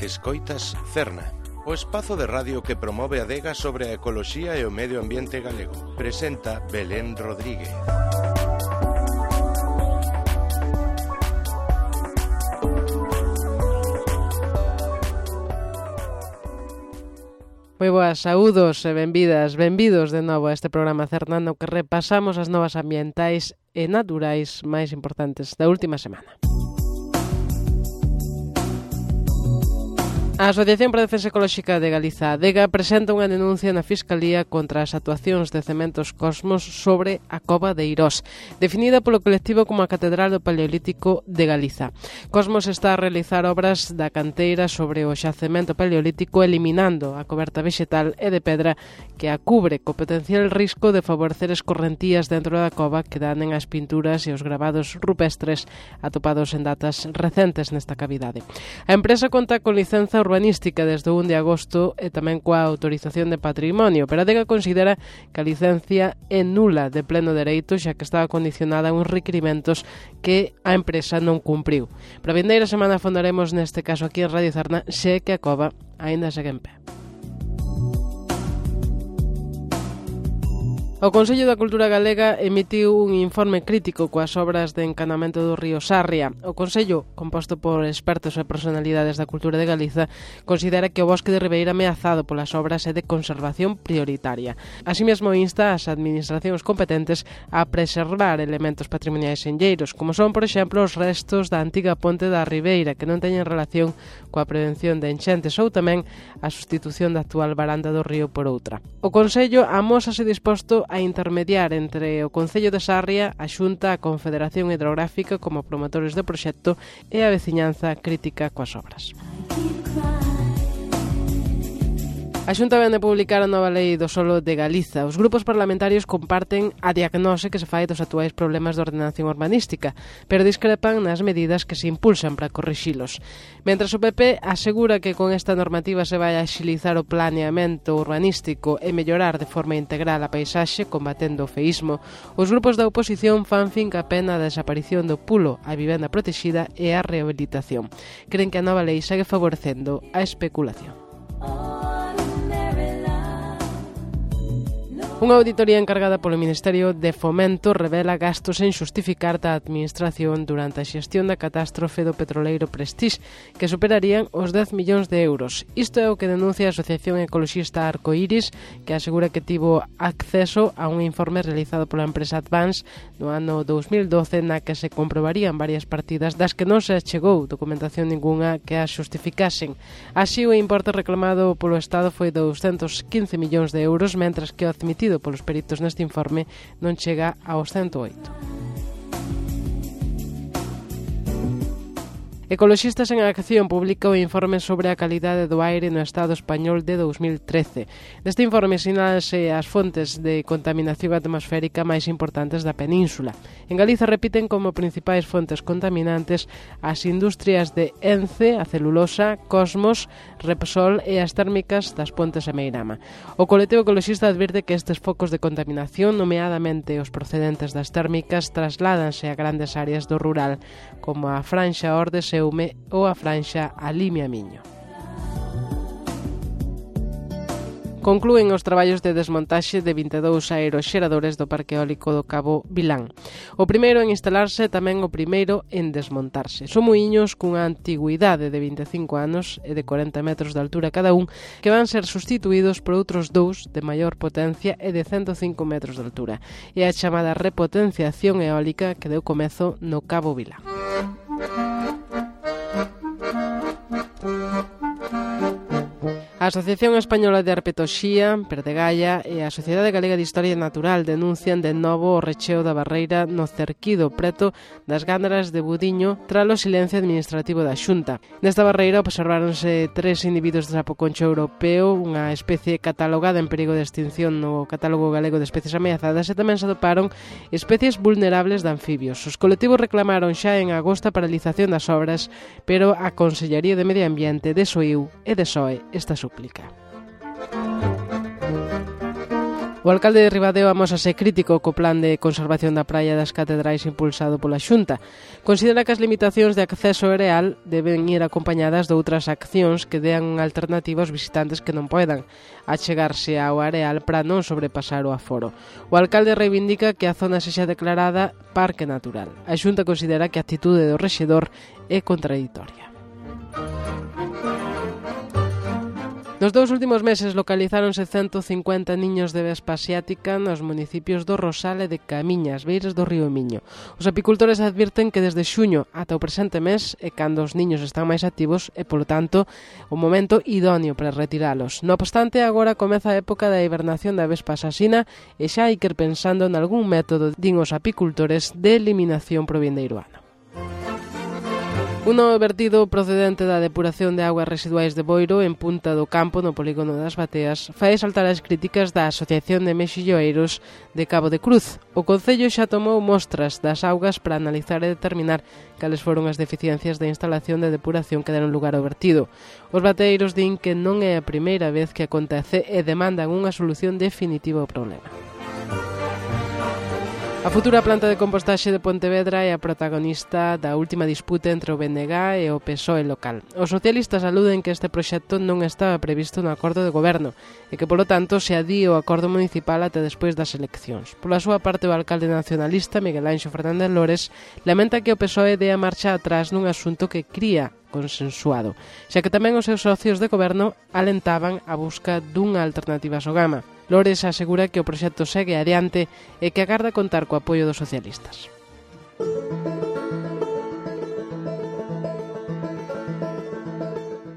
Escoitas Cerna, o espazo de radio que promove a adega sobre a ecoloxía e o medio ambiente galego. Presenta Belén Rodríguez. Moi boas, saúdos e benvidos de novo a este programa Cerna no que repasamos as novas ambientais e naturais máis importantes da última semana. A Asociación para a Defensa Ecolóxica de Galiza, ADEGA, presenta unha denuncia na Fiscalía contra as actuacións de Cementos Cosmos sobre a Cova de Eirós, definida polo colectivo como a Catedral do Paleolítico de Galiza. Cosmos está a realizar obras da canteira sobre o xacemento paleolítico, eliminando a coberta vexetal e de pedra que a cubre, co potencial risco de favorecer escorrentías dentro da cova que danen as pinturas e os gravados rupestres atopados en datas recentes nesta cavidade. A empresa conta con licenza urbanística desde o 1 de agosto e tamén coa autorización de patrimonio, pero a ADEGA considera que a licencia é nula de pleno dereito, xa que estaba condicionada a uns requirimentos que a empresa non cumpriu. Para a vindeira semana fondaremos neste caso aquí en Radio Cerna se que a cova aínda segue en pé. O Consello da Cultura Galega emitiu un informe crítico coas obras de encanamento do río Sarria. O Consello, composto por expertos e personalidades da cultura de Galiza, considera que o bosque de Ribeira ameazado polas obras é de conservación prioritaria. Así mesmo insta as administracións competentes a preservar elementos patrimoniais enlleiros, como son, por exemplo, os restos da antiga ponte da Ribeira, que non teñen relación coa prevención de enchentes, ou tamén a sustitución da actual varanda do río por outra. O Consello amósase disposto a intermediar entre o Concello de Sarria, a Xunta, a Confederación Hidrográfica como promotores do proxecto e a veciñanza crítica coas obras. A Xunta vén de publicar a nova lei do solo de Galiza. Os grupos parlamentarios comparten a diagnose que se fai dos actuais problemas de ordenación urbanística, pero discrepan nas medidas que se impulsan para corrixilos. Mentres o PP asegura que con esta normativa se vai a axilizar o planeamento urbanístico e mellorar de forma integral a paisaxe, combatendo o feísmo, os grupos da oposición fan fincapé na desaparición do pulo, a vivenda protexida e a rehabilitación. Creen que a nova lei segue favorecendo a especulación. Unha auditoría encargada polo Ministerio de Fomento revela gastos en xustificar da Administración durante a xestión da catástrofe do petroleiro Prestige, que superarían os 10 millóns de euros. Isto é o que denuncia a Asociación Ecoloxista Arcoiris, que asegura que tivo acceso a un informe realizado pola empresa Advance no ano 2012 na que se comprobarían varias partidas das que non se achegou documentación ninguna que as xustificasen. Así, o importe reclamado polo Estado foi 215 millóns de euros, mentras que o admitido polos peritos neste informe non chega aos 108. Ecoloxistas en Acción publica o informe sobre a calidade do aire no Estado español de 2013. Neste informe sinálase as fontes de contaminación atmosférica máis importantes da península. En Galiza repiten como principais fontes contaminantes as industrias de Ence, a celulosa, Cosmos, Repsol e as térmicas das Pontes e Meirama. O colectivo ecoloxista advirte que estes focos de contaminación, nomeadamente os procedentes das térmicas, trasládanse a grandes áreas do rural, como a Franxa Ordes Eume ou a Franxa a Limia Miño. Conclúen os traballos de desmontaxe de 22 aeroxeradores do Parque Eólico do Cabo Vilán. O primeiro en instalarse, tamén o primeiro en desmontarse. Son muiños cunha antigüidade de 25 anos e de 40 metros de altura cada un, que van ser sustituídos por outros dous de maior potencia e de 105 metros de altura. É a chamada repotenciación eólica que deu comezo no Cabo Vilán. A Asociación Española de Herpetoxía, Perdegaia e a Sociedade Galega de Historia Natural denuncian de novo o recheo da barreira no Cerquido, preto das Gándaras de Budiño, tras o silencio administrativo da Xunta. Nesta barreira observáronse 3 individuos de sapo concho europeo, unha especie catalogada en perigo de extinción no Catálogo Galego de Especies Ameazadas, e tamén se atoparon especies vulnerables de anfibios. Os colectivos reclamaron xa en agosto a paralización das obras, pero a Consellería de Medio Ambiente desoíu e desoe esta súplica. O alcalde de Ribadeo amósase crítico co plan de conservación da praia das Catedrais impulsado pola Xunta. Considera que as limitacións de acceso areal deben ir acompañadas de outras accións que dean alternativa aos visitantes que non poidan achegarse ao areal para non sobrepasar o aforo. O alcalde reivindica que a zona sexa declarada Parque Natural. A Xunta considera que a actitude do rexedor é contradictoria. Nos 2 últimos meses localizáronse 150 niños de vespa asiática nos municipios do Rosal e de Camiñas, beiras do río Miño. Os apicultores advirten que desde xuño ata o presente mes é cando os niños están máis activos e, polo tanto, o momento idóneo para retiralos. No obstante, agora comeza a época da hibernación da vespa asasina e xa hai que ir pensando en algún método, din os apicultores, de eliminación pro vindeiro ano. Un novo vertido procedente da depuración de augas residuais de Boiro en Punta do Campo, no polígono das Bateas, fai saltar as críticas da Asociación de Mexilloeiros de Cabo de Cruz. O Concello xa tomou mostras das augas para analizar e determinar cales foron as deficiencias da instalación de depuración que deron lugar ao vertido. Os bateiros din que non é a primeira vez que acontece e demandan unha solución definitiva ao problema. A futura planta de compostaxe de Pontevedra é a protagonista da última disputa entre o BNG e o PSOE local. Os socialistas aluden que este proxecto non estaba previsto no acordo de goberno e que, polo tanto, se adíe o acordo municipal até despois das eleccións. Pola súa parte, o alcalde nacionalista, Miguel Anxo Fernández Lores, lamenta que o PSOE dea marcha atrás nun asunto que cría consensuado, xa que tamén os seus socios de goberno alentaban a busca dunha alternativa a Sogama. Lores asegura que o proxecto segue adiante e que agarda contar co apoio dos socialistas.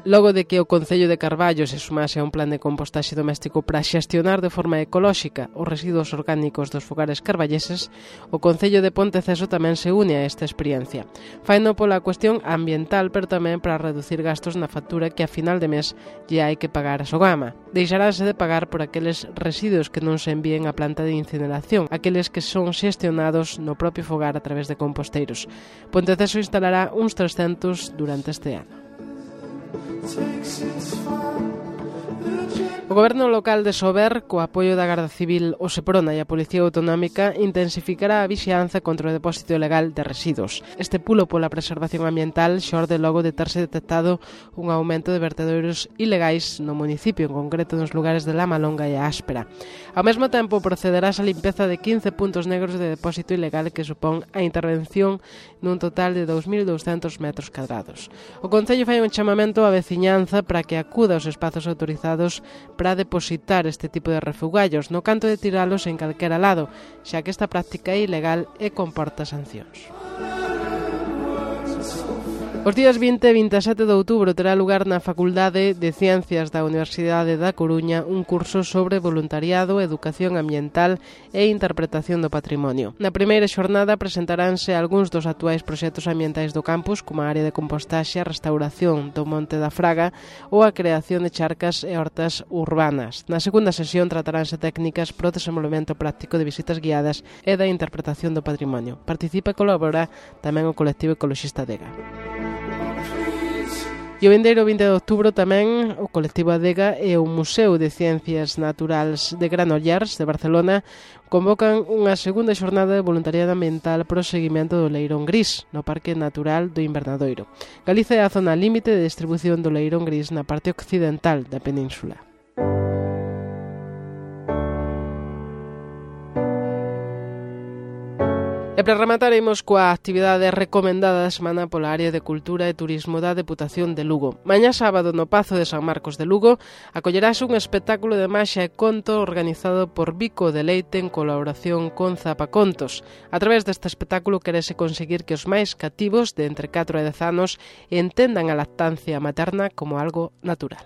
Logo de que o Concello de Carballo se sumase a un plan de compostaxe doméstico para xestionar de forma ecolóxica os residuos orgánicos dos fogares carballeses, o Concello de Ponteceso tamén se une a esta experiencia. Faino pola cuestión ambiental, pero tamén para reducir gastos na factura que a final de mes lle hai que pagar a Sogama. Deixaránse de pagar por aqueles residuos que non se envíen á planta de incineración, aqueles que son xestionados no propio fogar a través de composteiros. Ponteceso instalará uns 300 durante este ano. O Goberno local de Sober, co apoio da Garda Civil, o Seprona e a Policía Autonómica, intensificará a vixianza contra o depósito ilegal de residuos. Este pulo pola preservación ambiental xorde logo de terse detectado un aumento de vertedoiros ilegais no municipio, en concreto nos lugares de La Malonga e a Áspera. Ao mesmo tempo, procederás a limpeza de 15 puntos negros de depósito ilegal que supón a intervención nun total de 2.200 metros cadrados. O Concello fai un chamamento á veciñanza para que acuda aos espazos autorizados para depositar este tipo de refugallos, no canto de tiralos en calquera lado, xa que esta práctica é ilegal e comporta sancións. Os días 20 e 27 de outubro terá lugar na Facultade de Ciencias da Universidade da Coruña un curso sobre voluntariado, educación ambiental e interpretación do patrimonio. Na primeira xornada presentaránse algúns dos actuais proxectos ambientais do campus, como a área de compostaxe, a restauración do Monte da Fraga ou a creación de charcas e hortas urbanas. Na segunda sesión trataránse técnicas para o desenvolvemento práctico de visitas guiadas e da interpretación do patrimonio. Participa e colabora tamén o colectivo ecoloxista Adega. E o vindeiro 20 de outubro tamén o colectivo Adega e o Museo de Ciencias Naturais de Granollers de Barcelona convocan unha segunda xornada de voluntariado ambiental para o seguimento do leirón gris no Parque Natural do Invernadoiro. Galiza é a zona límite de distribución do leirón gris na parte occidental da península. E para rematar, imos coa actividade recomendada da semana pola área de Cultura e Turismo da Deputación de Lugo. Mañá sábado no Pazo de San Marcos de Lugo acollerase un espectáculo de maxia e conto organizado por Vico de Leite en colaboración con Zapacontos. A través deste espectáculo querese conseguir que os máis cativos de entre 4 e 10 anos entendan a lactancia materna como algo natural.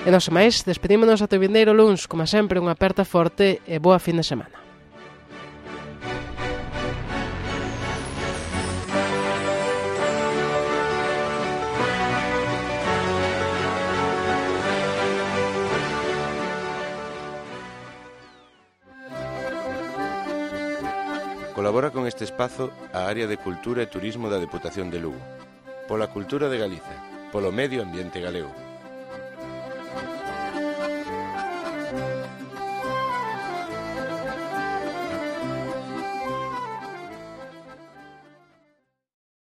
E non se máis, despedímonos ata o vindeiro luns, como sempre, unha aperta forte e boa fin de semana. Colabora con este espazo a área de Cultura e Turismo da Deputación de Lugo. Pola cultura de Galiza, polo medio ambiente galego.